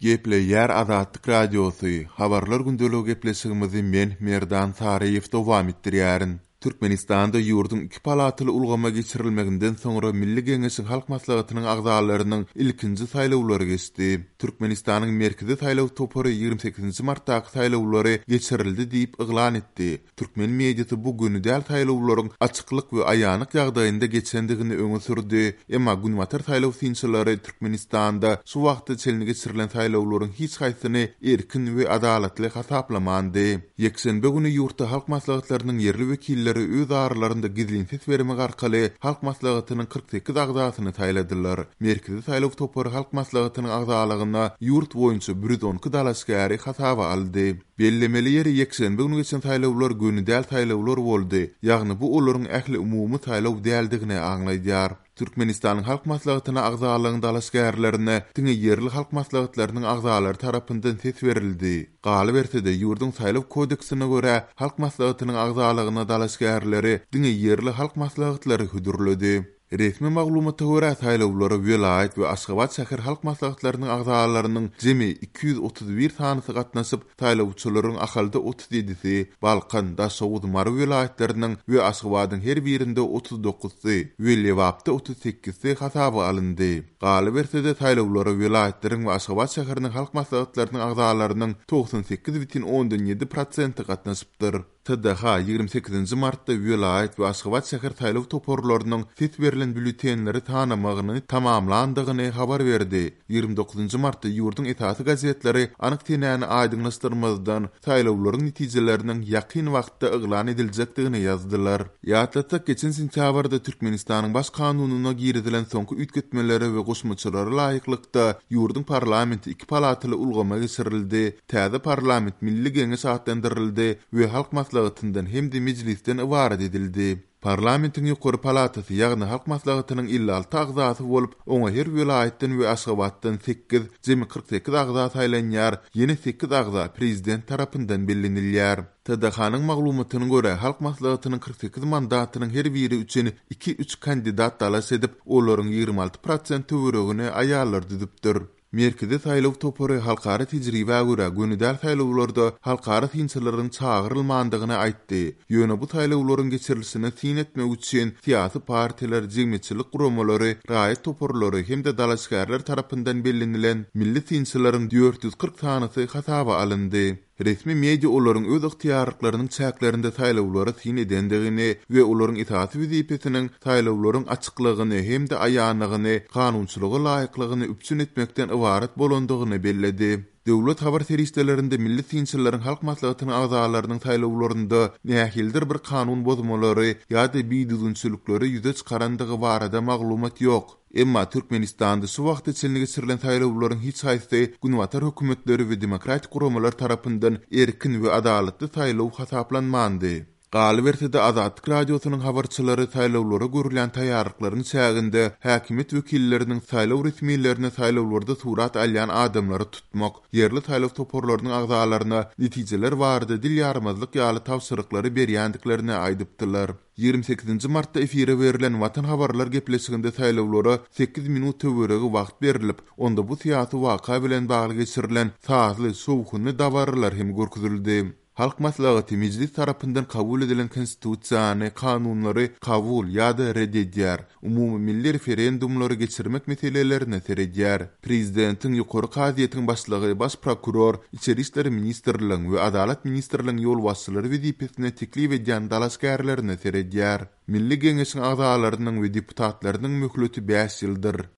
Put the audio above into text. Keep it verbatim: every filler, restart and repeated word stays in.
Gepleýär Azatlyk Radiosy, Habarlar gündeligi gepleşigimizi men Merdan Saryýew dowam etdirýärin. Türkmenistanda ýurduň iki palataly ulgama geçirilmeginden soňra Milli Geňeşiň Halk Maslahatynyň agzalarynyň ilkinji saýlawlary geçdi. Türkmenistanyň Merkezi saýlaw topary ýigrimi sekizinji martdaky saýlawlary geçirildi diýip yglan etdi. Türkmen mediasy bu göni däl saýlawlaryň açyklyk we aýanlyk ýagdaýynda geçendigini öňe sürdi. Emma Günbatar saýlaw synçylary Türkmenistanda şu wagta çenli geçirilen saýlawlaryň hiç haýsyny erkin we adalatly hasaplamandy. Ýekşenbe güni ýurtda halk maslahatlarynyň ýerli wekilleri öz aralarynda gizlin ses bermek arkaly Halk Maslahatynyň kyrk sekiz agzasyny saýladylar. Merkezi saýlaw topary Halk Maslahatynyň agzalygyna ýurt boýunça bir ýüz on iki dalaşgäri hasaba aldy. Bellemeli ýeri ýekşenbe güni geçen saýlawlar göni däl saýlawlar boldy, ýagny bu olaryň ähli umumy saýlaw däldigini aňladýar. Türkmenistanyň Halk Maslahatyna agzalygyň dalaşgärlerine diňe ýerli halk maslahatlarynyň agzalary tarapyndan ses berildi. Galyberse-de, ýurduň saýlaw kodeksine görä, Halk Maslahatynyň agzalygyna dalaşgärleri diňe ýerli halk maslahatlary hödürledi. Resmi maglumata görä, saýlawlara welaýat we Aşgabat şäher halk maslahatlarynyň agzalarynyň jemi iki ýüz otuz bir sanysy gatnaşyp, saýlawçylaryň Ahalda otuz ýedisi, Balkan, Daşoguz, Mary welaýatlarynyň we Aşgabadyň her birinde otuz dokuzsy we Lebapda otuz sekizsi hasaba alyndy. Galyberse-de, saýlawlara welaýatlaryň we Aşgabat şäheriniň halk maslahatlarynyň agzalarynyň togsan sekiz bütin ondan ýedi prosenti gatnaşypdyr. T D H ýigrimi sekizinji martda welaýat we Aşgabat şäher saýlaw toparlarynyň ses berlen býulletenleri tanamagyny tamamlandygyny habar berdi. Ýigrimi dokuzynjy martda ýurduň esasy gazetleri anyk senäni aýdyňlaşdyrmazdan saýlawlaryň netijeleriniň ýakyn wagtda yglan ediljekdigini ýazdylar. Ýatlatsak, geçen sentýabrda Türkmenistanyň baş kanunyna girizilen soňky üýtgetmelere we goşmaçalara laýyklykda ýurduň parlamenti iki palataly ulgama geçirildi. Täze parlament Milli Geňeş atlandyryldy we Halk Maslahatyndan hem-de mejlisden ybarat edildi. Parlamentiň ýokary palatasy, ýagny Halk Maslahatynyň elli alty agzasy bolup, oňa her welaýatdan we Aşgabatdan sekiz, jemi kyrk sekiz agza saýlanýar, ýene sekiz agza prezident tarapyndan bellenilýär. T D H-nyň maglumatyna görä, Halk Maslahatynyň kyrk sekiz mandatynyň her biri üçin iki-üç kandidat dalaş edip, olaryň ýigrimi alty prosent töweregini aýallar düzüpdir. Merkezi saýlaw topary halkara tejribä görä göni däl saýlawlarda halkara synçylaryň çagyrylmandygyny aýtdy. Ýöne bu saýlawlaryň geçirilişine syn etmek üçin syýasy partiýalar, jemgyýetçilik guramalary, raýat toparlary hem-de dalaşgärler tarapyndan bellenilen milli synçylaryň dört ýüz kyrk sanysy hasaba alyndy. Resmi media olaryň öz ygtyýarlyklarynyň çäklerinde saýlawlara syn edendigini we olaryň esasy wezipesiniň saýlawlaryň açyklygyny hem-de aýanlygyny, kanunçylyga laýyklygyny üpjün etmekden ybarat bolandygyny belledi. Döwlet habar serişdelerinde milli synçylaryň Halk Maslahatynyň agzalarynyň saýlawlarynda nähilidir bir kanun bozmalary ýa-da bidüzgünçilikleri ýüze çykarandygy barada maglumat ýok. Emma Türkmenistanda şu wagta çenli geçirilen saýlawlaryň hiç haýsy Günbatar hökümetleri we demokratik guramalar tarapyndan erkin we adalatly saýlaw hasaplanmandy. Galyberse-de Azatlyk Radiosynyň habarçylary saýlawlara görülýän taýýarlyklaryň çäginde häkimiýet wekilleriniň saýlaw resmilerine saýlawlarda surat alýan adamlary tutmak, ýerli saýlaw toparlarynyň agzalaryna netijeler barada dil ýarmazlyk ýaly tabşyryklary berýändiklerini aýdypdylar. Ýigrimi sekizinji martda efire berlen Watan habarlar gepleşiginde saýlawlara sekiz minut töweregi wagt berilip, onda bu syýasy waka bilen bagly geçirilen sazly, şowhunly dabaralar hem görkezildi. Halk Maslahaty mejlis tarapyndan kabul edilen konstitusiýany, kanunlary kabul ýa-da red edýär. Umumy milli referendumlary geçirmek meselelerine seredýär. Prezidentiň ýokary kazyýetiň başlygy, baş prokuror, Içeri işler ministrligiň we Adalat ministrligiň ýolbaşçylary wezipesine teklip edýän dalaşgärlerine seredýär. Milli Geňeşiň agzalarynyň we deputatlarynyň möhleti bäş ýyldyr.